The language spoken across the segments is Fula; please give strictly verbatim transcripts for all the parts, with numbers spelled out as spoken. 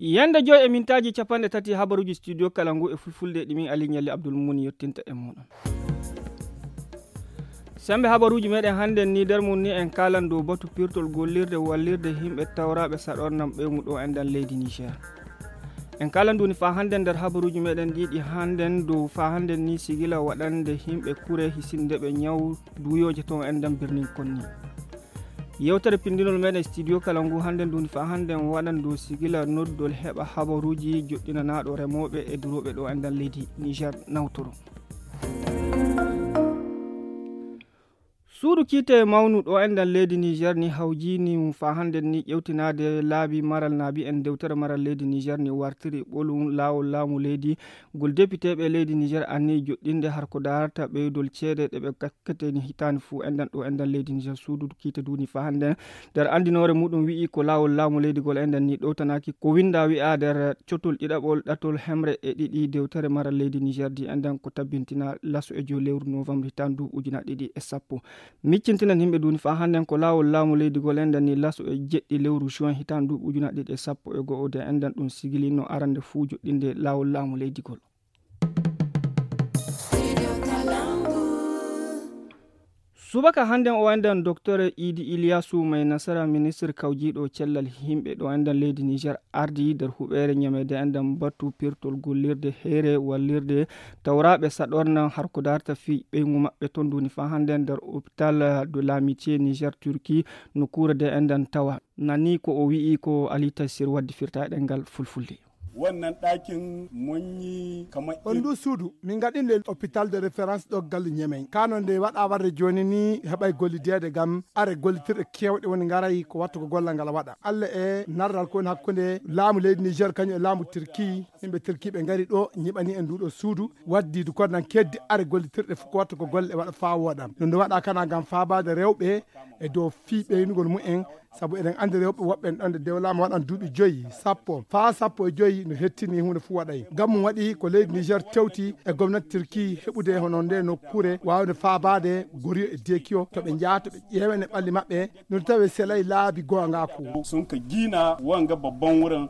Yande joy e mintaaji capanɗe tati habaruuji studio kala ngu e fulfulde ɗi min Ali Ɲalli Abdul Muni yottinta e muɗum. Sembe habaruuji meɗen hannden ni nder mum ni en kaalan dow batu pirtol gollirde wallirde yimɓe tawraaɓe saɗornam ɓeygu ɗo enɗan leydi Niger. En kaalan duni faa hannden nder habaruuji meɗen ɗi ɗi hannden dow faa hannden ni sigila waɗande yimɓe kure hisinde ɓe ñaw duuyooje toon enɗan birnin konni. Yewtere pindinol meɗen studio kala ngu hannden duni faa hannden waɗan dow sigila noddol heɓa habaruuji joɗɗinanaaɗo remooɓe e durooɓe ɗo enɗan leydi Niger nawtoro. Suudu kiite mawnu ɗo enɗan leydi Niger ni hawjini mum faa hannden ni ƴewtinaade laabi maral naabi en dewtere maral leydi Niger ni wartiri ɓolum laawol laamu leydi ngol depiteeɓe leydi Niger anni joɗɗinde har ko daarata ɓeydol ceede ɗe ɓe kakkete ni hitaani fuu enɗan ɗo enɗan leydi Niger suudu kiite duni faa hannden nder anndinoore muɗum wi'i ko laawol laamu leydi gol enɗan ni ɗowtanaaki ko winnda wi'a nder cotol ɗiɗaɓol ɗatol hemre e ɗiɗi dewtere maral leydi Niger di enɗan ko tabbintina laso e joy lewru novembre hitaande duuɓi ujuna ɗiɗi e sappo. Miccintinan yimɓe duni faa hannden ko laawol laamu leydi gol enɗan ni laso e jeɗɗi lewru juin hitaande duuɓi ujuna ɗiɗi e sappo e go'o de enɗan ɗum sigilino arande fuu joɗɗinde laawol laamu leydi gol. Subaka hannden o enɗan Docteur Idi Iliyasu May Nasara, ministre kawjiiɗo cellal yimɓe ɗo enɗan leydi Niger, ardi nder huɓeere ñameede enɗan batu pirtol gollirde heere wallirde tawraaɓe saɗorna har ko darta fii ɓeyngu maɓɓe ton duni faa hannden nder hôpital de l'amitié Niger Turquie, nokkuure de enɗan tawa. Nani ko o wi'i ko Ali Taysir waddi firta e ɗemngal fulfulde. Wannan ɗakin mun yi kamar On ndu suudu, min ngaɗi nde hôpital de référence ɗo galle Ñemey. Kano nde waɗa warde jooni ni heɓay gollideede ngam are gollitirɗe keewɗe woni ngaray ko wattu ko gollal ngal waɗa. Allah e narral ko woni hakkunde laamu leydi Niger kañum e laamu Turki. Yimɓe Turki ɓe ngari ɗo ñiɓani en nduɗo suudu. Waddi du kono nan keddi are gollitirɗe fof ko wattu ko golle e waɗa faa wooɗa. Ɗum nde waɗa kana ngam faabaade rewɓe e dow fii ɓeynugol mumen. Sabu eɗen anndi rewɓe woɓɓe en ɗon nde dewlaama waɗan duuɓi joyi, sappo, faa sappo e joyi no hettini huunde fof waɗay. Ngam mum waɗi ko leydi Niger tewti e gomnati Turki heɓude hono nde nokkure waawde faabaade goriyo e dekiyo to ɓe njaha to ɓe ƴeewene ɓalli maɓɓe, no tawe selay laabi goongaaku. Sun ka gina wanga babban wurin.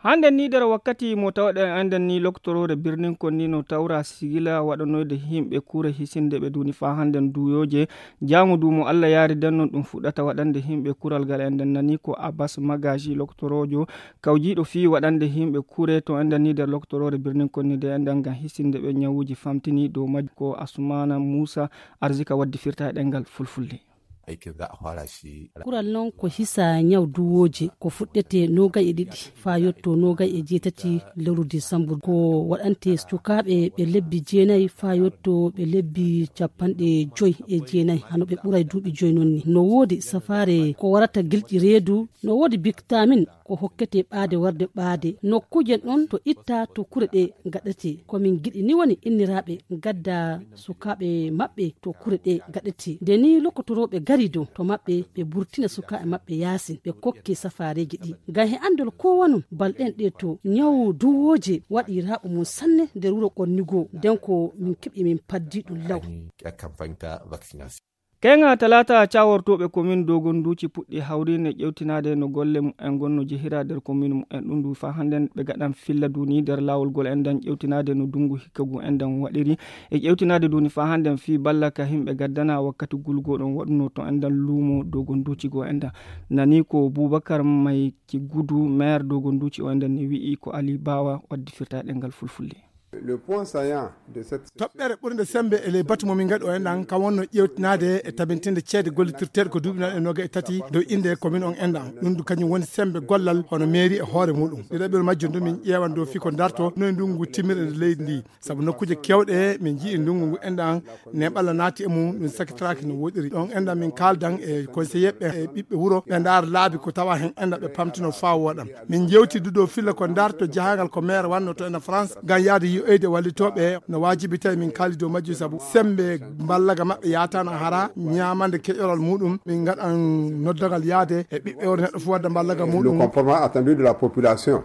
Hannden ni nder wakkati mo tawɗen enɗen ni loktoroore birnin kon ni no tawra sigila waɗanoyde yimɓe kure hisinde ɓe duni faa hannden duuyooje. Jaamu du mo Allah yaari den non ɗum fuɗɗata waɗande yimɓe kural ngal enɗen nani ko Abbas Magaji loktoroojo kawjiiɗo fii waɗande yimɓe kure to enɗen ni nder loktoroore birnin kon ni de enɗen ngam hisinde ɓe ñawuuji famtini dow majji ko Asumana Musa Arzika waddi firta e ɗemngal fulfulde. Aikin za a fara shi. Kural non ko hisa ñaw duwooje ko fuɗɗete noogay e ɗiɗi faa yotto noogay e jeetati lewru disambur. Ko waɗante sukaaɓe ɓe lebbi jeenay faa yotto ɓe lebbi capanɗe joy e jeenay hano ɓe ɓuray duuɓi joy non ni. No woodi safaare ko warata gilƴi reedu, no woodi biktamin ko hokkete ɓaade warde ɓaade. Nokkuuje ɗon to itta to kure ɗe gaɗete. Ko min giɗi ni woni inniraaɓe gadda sukaaɓe maɓɓe to kure ɗe gaɗete. Nde ni lokotorooɓe gari dow to maɓɓe, ɓe burtina sukaaɓe maɓɓe yaasin, ɓe kokke safaareeji ɗi. Ngam he anndol ko wonum, balɗen ɗe to ñawu duwooje waɗi raaɓo mum sanne nder wuro Konnigo. Nden ko min keɓi min paddi ɗum law. Ani a campagne ta vaccination. Keŋa talaata cawortooɓe komin Dogon Duuci puɗɗi hawriinde ƴewtinaade no golle mumen ngon no jehira nder komin mumen ɗum du faa hannden ɓe gaɗan filla duni nder laawol gol enɗan ƴewtinaade no dungu hikka ngu enɗan waɗiri e ƴewtinaade duni faa hannden fii balla ka yimɓe gaddana wakkati gulgo ɗon waɗuno to enɗan luumo Dogon Duuci go enɗan. Nani ko Bubakar Mayki Gudu, maire Dogon Duuci o enɗan ni wi'i ko Ali Bawa waddi firta e ɗemngal fulfulde. Le point saillant de cette Toɓɓere ɓurnde semmbe e ley batu mo min ngaɗi o enɗan, kam wonno ƴeewtinaade e tabintinde ceede gollitirteeɗe ko duuɓi nayi e noogay e tati dow innde commune on enɗan. Ɗum du kañum woni semmbe gollal hono mairie e hoore muɗum. Ɗiɗaɓel majjum du min ƴeewan dow fii ko darto no e ndunngu timmirɗe nder leydi ndi. Sabu nokkuuje keewɗe min njii ndunngu ngu enɗan neeɓalla naati e mum, ɗum sakitiraaki no woɗiri. Ɗon enɗan min kaaldan e conseiller ɓe e ɓiɓɓe wuro ɓe ndaara laabi ko tawa heen enɗan ɓe pamtino faa wooɗa. Min njeewti du dow filla ko darto jahangal ko maire wanno to ena France ngam yahde yi'oyde wallitooɓe no waajibi tawi min kaali dow majjum sabu semmbe mballaga maɓɓe yaataano hara ñaamande keƴoral muɗum min ngaɗan noddagal yahde e ɓiɓɓe wuro neɗɗo fof wadda mballaga muɗum. Le comportement attendu de la population.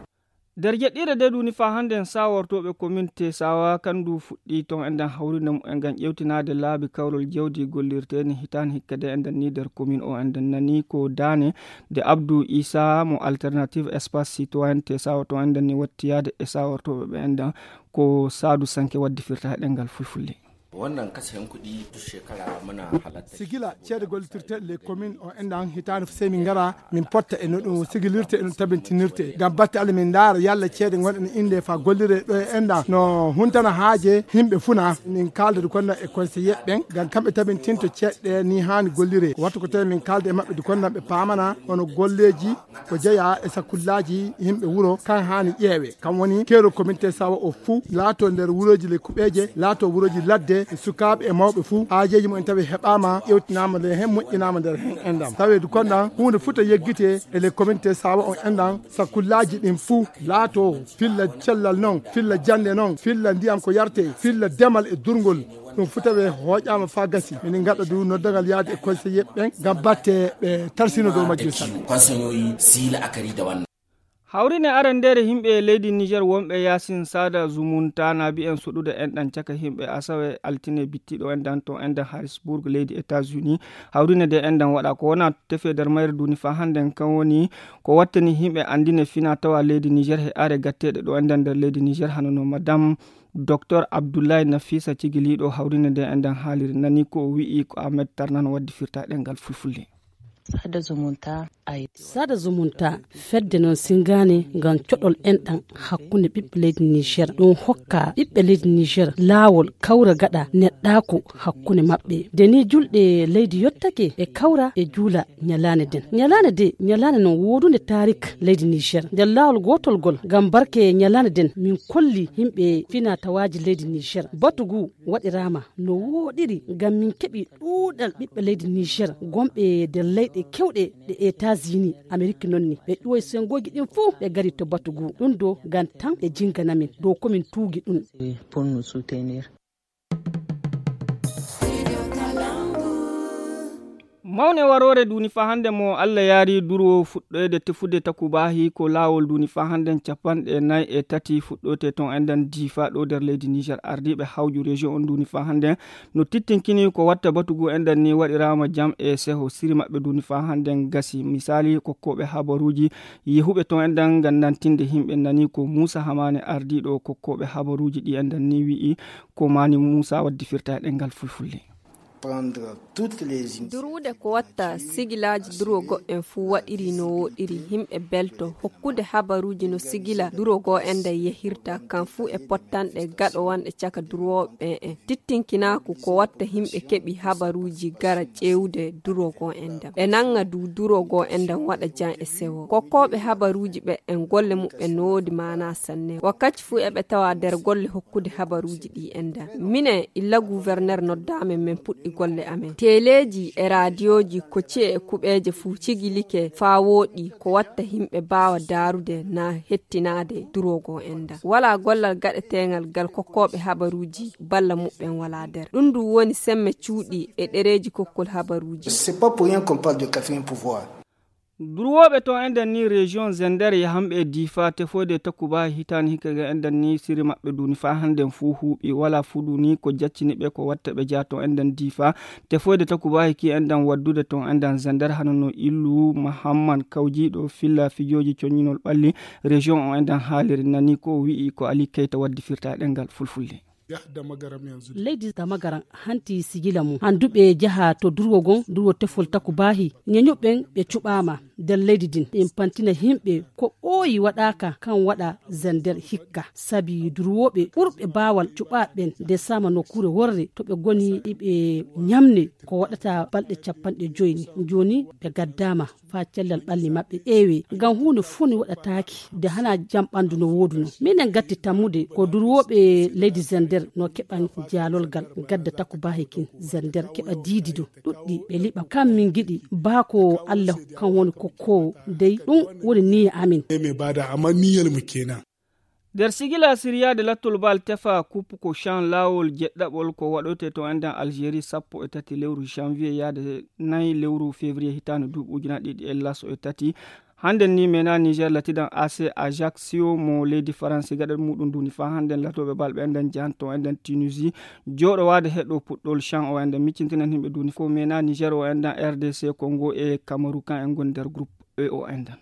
Nder jeɗɗiire nde duuni faa hannden, saawortooɓe komin Tesawa kanndu fuɗɗii toon enɗan hawrinde mumen ngam ƴeewtinaade laabi kawrol jawdi gollirteeni hitaande hikka nde enɗan nii nder komin o. Enɗan nanii ko daane nde Abdou Issa mo Alternative Espace Citoyen Tesawa toon enɗan nii wattiyaade e saawortooɓe ɓe enɗan, ko Saadu Sanke waddi firta e ɗemngal fulfulde. Wannan kasafin kuɗi duk shekara muna halatta. Sigila ceede gollitirteeɗe les communes o enɗan hitaande fof, sey min ngara min potta e no ɗum sigilirte, e no tabintinirte. Ngam batte Allah min ndaara yalla ceede ngonɗe no innde faa gollire ɗo e enɗan no huntana haaje yimɓe fuu na. Min kaalda du konda e conseiller ɓen ngam kamɓe tabintinto ceeɗe ɗe ni haani gollire. Wattu ko tawi min kaalda e maɓɓe du konda ɓe paamana hono golleeji ko jeyaa e sakullaaji yimɓe wuro kan haani ƴeewe. Kam woni keerol komin Tesawa o fuu laatoo nder wurooji le kuɓeeje, laatoo wurooji ladde, sukaaɓe e mawɓe fuu, haajeeji mumen tawi heɓaama, ƴeewtinaama nde heen, moƴƴinaama nder heen enɗan. Taweedu konɗan, huunde fuu to yeggitee e le komin Tesawa o enɗan, sakullaaji ɗin fuu laatoo filla cellal noon, filla jannde noon, filla ndiyam ko yartee, filla demal e durngol. Ɗum fuu tawee hooƴaama faa gasi. Minin ngaɗa du noddagal yaade e conseiller ɓen ngam batte ɓe tarsino dow majjum sanne. Hawrine arandeere yimɓe leydi Niger wonɓe Yaasin Sada Zumunta na bi'en suɗude enɗan caka yimɓe asawe altine bittiɗo enɗan to enɗan Harrisburg leydi États-Unis. Hawrine nde enɗan waɗa ko wona tefe nder mayre duni faa hannden kan woni ko wattani yimɓe anndine fina tawa leydi Niger he are gatteɗe ɗo enɗan nder leydi Niger hano no Madame Docteur Abdoulaye Nafisa cigiliiɗo hawrine nde enɗan haaliri nani ko o wi'i ko Ahmed Tarnan waddi firta ɗemngal fulfulde. Sada Zumunta, fedde noon singaani ngam coɗol enɗan hakkunde ɓiɓɓe leydi Niger. Ɗum hokka ɓiɓɓe leydi Niger laawol kawra gaɗa neɗɗaaku hakkunde maɓɓe. Nde ni julɗe leydi yottake e kawra e juula ñalaande nden. Ñalaande de, ñalaande noon woodunde taarik leydi Niger. Nder laawol gootol gol ngam barke ñalaande nden min kolli yimɓe fina tawaaji leydi Niger. Batu ngu waɗiraama no wooɗiri ngam min keɓi ɗuuɗal ɓiɓɓe leydi Niger gonɓe nder leyɗe kewɗe ɗe États-Unis, Amerik noon ni. Ɓe ƴuwoy senngooji ɗin fuu ɓe ngari to batu ngu. Ɗum ɗo ngam tan ɓe jinngana min dow ko min tuugi ɗum. Mawne waroore duuni faa hannde mo Allah yaari duro fuɗɗoyde tefude takubaahi ko laawol duuni faa hannden capanɗe nayi e tati fuɗɗoyte toon enɗan Difa ɗo nder leydi Niger. Ardiiɓe hawju région on duuni faa hannden no tittinkini ko watta batu ngu enɗan ni waɗiraama jam e seho siri maɓɓe duuni faa hannden gasi. Misaali kokkooɓe habaruuji yehuɓe toon enɗan ngam nantinde yimɓe nani ko Muusa Hamaane ardiiɗo kokkooɓe habaruuji ɗi enɗan ni wi'i ko Maani Muusa waddi firta e ɗemngal fulfulde. Durwude ko watta sigilaaji duro goɗɗen fuu waɗiri no woɗiri, yimɓe belto. Hokkude habaruuji no sigila duro goo enɗan yehirta, kan fuu e pottanɗe gaɗowanɗe caka durwooɓe ɓen en. Tittinkinaaku ko watta yimɓe keɓi habaruuji gara ƴeewde duro goo enɗan. Ɓe nanga du duro goo enɗan waɗa jam e sewo. Kokkooɓe habaruuji ɓe en golle muɓɓen no woodi maanaa sanne. Wakkati fuu eɓe tawa nder golle hokkude habaruuji ɗi enɗan. Minen illa guwerner noddaama men puɗɗi golle amen. Teleeji e raadiyooji ko ci'e e kuɓeeje fuu cigilike faa wooɗi ko watta yimɓe mbaawa daarude naa hettinaade duro goo enɗan. Walaa gollal gaɗeteengal gal kokkooɓe habaruuji balla muɓɓen walaa nder. Ɗum ndu woni semme cuuɗi e ɗereeji kokkol habaruuji. C'est pas pour rien qu'on parle de quatrième pouvoir. Durwooɓe toon enɗan ni région Zender yahanɓe e Difa tefoyde takubaahi hitaande hikka ga enɗan ni siri maɓɓe duuni faa hannden fuu huuɓi. Walaa fuu duuni ko jaccini ɓe ko watta ɓe jaa toon enɗan Difa tefoyde takubaahi ki enɗan waddude toon enɗan Zender hano no Illu Mahamman kawjiiɗo filla fijooji coññinol ɓalli région o enɗan haaliri nani ko o wi'i ko Ali Keyta waddi firta e ɗemngal fulfulde. Leydi Damagaran hanti sigila mum. Handuɓe jaha to durwo gon, durwo tefol takubaahi. Ñeñuɓen ɓe cuɓaama nder leydi din. Ɓen pantina yimɓe ko ɓooyi waɗaaka kan waɗa Zender hikka. Sabi durwooɓe ɓurɓe baawal cuɓaa ɓen nde sama nokkuure worre to ɓe goni iɓe ñamne ko waɗata balɗe capanɗe joyi ni. Jooni ɓe gaddaama faa cellal ɓalli maɓɓe ƴeewee. Ngam huunde fuu ni waɗataaki nde hanaa jam ɓanndu no wooduno. Minen gatti tammude ko durwooɓe leydi Zender no keɓan jaalolgal gadda takubaahi kin Zender keɓa diidido ɗuɗɗi ɓe liɓa. Kam min ngiɗi baa ko Allah kan woni kokkoowo dey ɗum woni niyya amin. Nder sigila siriyaade lattol bal tefa kup ko chan laawol jeɗɗaɓol ko waɗoyte to enɗan Algérie sappo e tati lewru janvier yaade nayi lewru février hitaande duuɓi ujunaaji ɗiɗi e laso e tati. Hannden ni mena Niger latidan A C Ajaccio mo leydi Faransi gaɗa muɗum duni fa hannden latooɓe bal ɓe enɗan jahanto enɗan Tunisie jooɗowaade heɗo puɗɗol chan o enɗan miccintinan himɓe duni fof mena Niger o enɗan R D C Congo e Kamaru kan en ngoni nder groupe E o enɗan.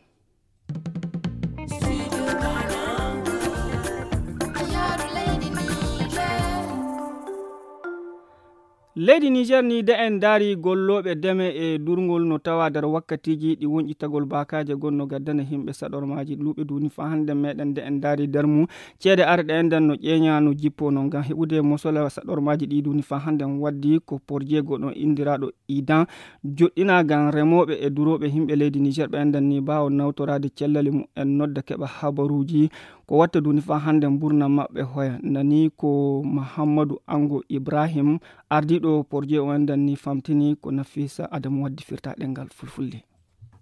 Leydi Niger ni de en ndaari gollooɓe deme e durngol no tawa nder wakkatiiji ɗi wonƴitagol baakaaje gonno gaddana himɓe saɗormaaji luuɓe duni fa hannde meɗen de en ndaari nder mum ceede arɗe enɗan no ƴeeña no jippo no ngam heɓude mosola saɗormaaji ɗi duni fa hannde waddi ko porjeego ɗo indiraaɗo idan joɗɗina ngam remooɓe e durooɓe himɓe leydi Niger ɓe enɗan ni baawo nawtoraade cellali mum en nodda keɓa habaruuji ko watta duni fa hannde mburna maɓɓe hoya nani ko Mahammadu Ango Ibrahim ardiiɗo porjeego o enɗan ni famtini ko Nafisa Adamu waddi firta ɗengal fulfulde.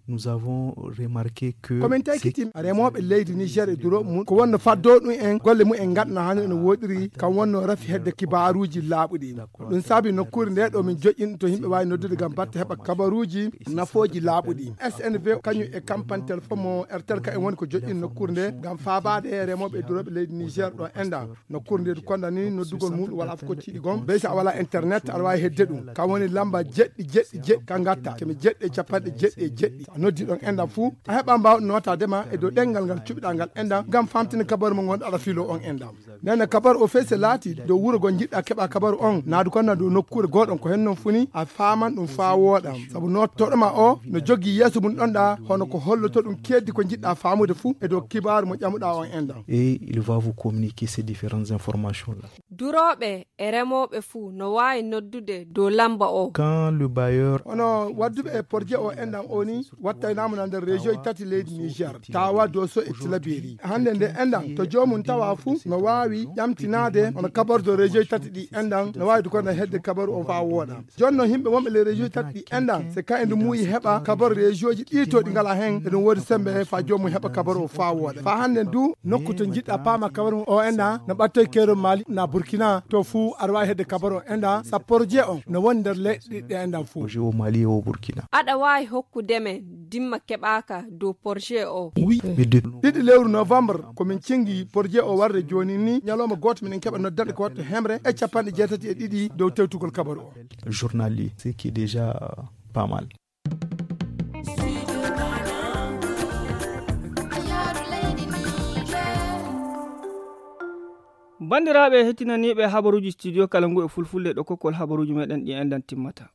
Nous avons remarqué que komin taykiti remooɓe leydi Niger e durooɓe mum ko wonno faddo ɗum en golle mum en ngaɗno hannde no woɗiri kam wonno rafi hedde kibaaruuji laaɓuɗi ɗum saabi nokkuure nde ɗo min joƴƴin to yimɓe waawi noddude ngam batte heɓa kabaruuji nafooji laaɓuɗi S N V kañum e campagne téléphone mo R T L ka en woni ko joƴƴin nokkuure nde ngam faabaade e remooɓe e durooɓe leydi Niger ɗo enɗan nokkuure nde konda ni noddugol mum wala fof ko tiiɗi gom bey so a wala internet aɗa waawi hedde ɗum kam woni lamba jeɗɗi jeɗɗi jeɗɗi ka ngatta kemi jeɗɗi e capanɗe jeɗɗi e jeɗɗi a noddi ɗon enɗan fuu a heɓa mbawɗo notade ma e dow ɗengal ngal cuɓiɗa ngal enɗan ngam famtina kabaru mo ngonɗo aɗa filo on enɗan nene kabaru o fey se laati dow wuro go jiɗɗa keɓa kabaru on naadu kon na dow nokkuure goɗon ko hen non funi a faman ɗum faa wooɗa sabu nottoɗo ma o no jogii yeeso mum ɗonɗa hono ko holloto ɗum keddi ko jiɗɗa famude fuu e dow kibaaru mo ƴamuɗa on enɗan. Et il va vous communiquer ces différentes informations là. Durooɓe e remooɓe fuu no waawi noddude dow lamba o. Quand le bailleur hono wadduɓe e porje o enɗan o ni wattaynaama na nder région tati leydi Niger tawa doso e tilaberi hannde nde enɗan to joomum tawa fuu no waawi ƴamtinaade hono kabardo région tati ɗi enɗan no waawi dukonda hedde kabaru o faa wooɗa jonno yimɓe wonɓe les région tati ɗi enɗan se ka e ndu muuyi heɓa kabaru région ji ɗi to ɗi ngala heen eɗum woodi sembe faa joomum heɓa kabaru o faa wooɗa faa hannde du nokku to jiɗɗa paama kabaru o enɗan no ɓattoy keerol maali na burkina to fuu aɗa waawi hedde kabaru o enɗan sappo projet on no woni nder leyɗe ɗe enɗan fuu. Projet au Mali et au Burkina. Aɗa waawi hokkude men dimma keɓaaka dow projet o. Oui, mais de ɗiɗi lewru novembre ko min cingi projet o warde jooni ni ñalawma gooto minen keɓa noddanɗe ko watta hemre e capanɗe jeetati e ɗiɗi dow tewtugol kabaru o. Journalier ce qui est déjà pas mal. Banndiraaɓe hettinaniiɓe habaruuji studio kala ngu e fulfulde ɗo kokkol habaruuji meɗen ɗi enɗan timmata.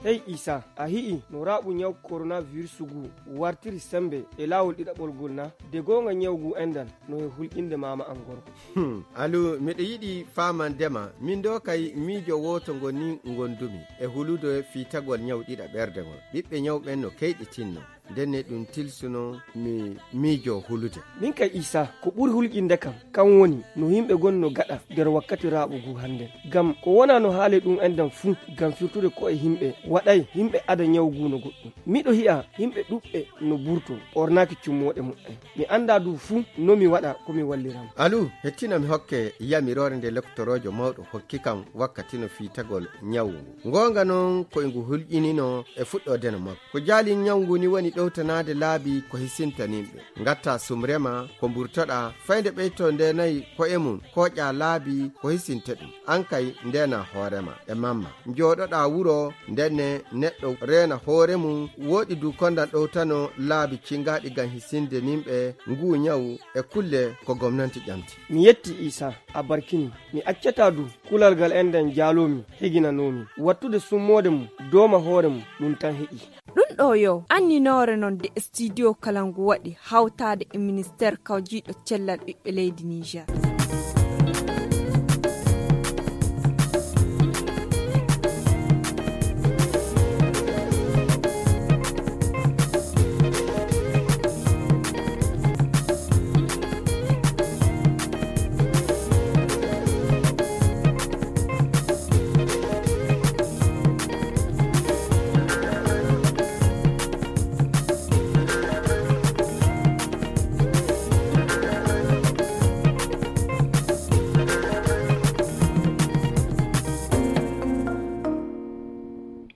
Hey isa a hi'i no raɓu ñaw koronavirus ngu wartiri sembe e laawol ɗiɗaɓol ngol na de goonga ñaw ngu enɗan no he hulƴinde maama an gorko. Hmm, alu miɗo yiɗi faamandema min ɗo kay miijo wooto ngo ni ngondumi e hulude fiitagol ñaw ɗiɗaɓerde ngol ɓiɓɓe ñawɓen no keyɗitinno. Ndenne ɗum tilsuno mi miijo hulude. Min kay isa ko ɓuri hulƴinde kam kan woni no yimɓe gonno gaɗa nder wakkati raaɓo ngu hannden. Ngam ko wona no haale ɗum enɗan fuu ngam firtude ko'e yimɓe waɗay yimɓe ada ñaw ngu no goɗɗum. Miɗo hi'a yimɓe ɗuɓɓe no burto ɓornaaki cummooɗe muɓɓen. Mi anndaa du fuu no mi waɗa ko mi walliran. Alu hettina mi hokke yamiroore nde lektoroojo mawɗo hokki kam wakkati no fiitagol ñawu ngu. Ngoonga noon ko e ngu hulƴinino e fuɗɗoodeno makko. Ko jaali ñaw ngu ni woni ɗowtanaade laabi ko hisinta nimɓe. Ngatta sumrema ko mburtoɗaa fayde ɓeyto ndeenayi ko'e mum kooƴaa laabi ko hisinta ɗum. Aan kay ndeenaa hoorema e mamma. Njooɗoɗaa wuro ndenne neɗɗo reena hoore mum wooɗi du kondan ɗowtano laabi cingaaɗi ngam hisinde nimɓe nguu ñaw e kulle ko gomnanti ƴamti. Mi yetti isa a barkini mi accata du kulal ngal enɗan jaaloomi heginanoomi wattude summoode mum dooma hoore mum ɗum tan heƴi. Ɗum ɗo yo anninoore noon de studio kala ngu waɗi hawtaade e ministeer kawjiiɗo cellal ɓiɓɓe leydi Niger.